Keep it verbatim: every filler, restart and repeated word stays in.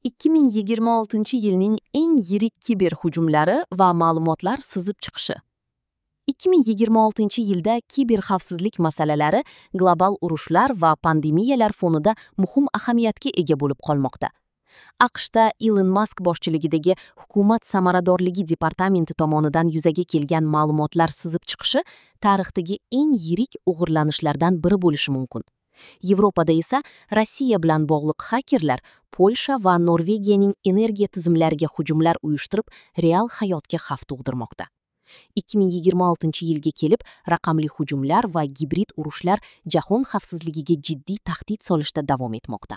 ikki ming yigirma oltinchi yilning eng yirik kiber hujumlari va ma'lumotlar sizib chiqishi. ikki ming yigirma oltinchi yilda kiber xavfsizlik masalalari global urushlar va pandemiyalar fonida muhim ahamiyatga ega bo'lib qolmoqda. A Q Shda Ilon Mask boshchiligidagi hukumat samaradorligi departamenti tomonidan yuzaga kelgan ma'lumotlar sizib chiqishi tarixdagi eng yirik o'g'irlanishlardan biri bo'lishi mumkin. Yevropada esa Rossiya bilan bog'liq xakerlar Polsha va Norvegiyaning energiya tizimlariga hujumlar uyushtirib, real hayotga xavf tug'dirmoqda. ikki ming yigirma oltinchi yilga kelib raqamli hujumlar va gibrid urushlar jahon xavfsizligiga jiddiy tahdid solishda davom etmoqda.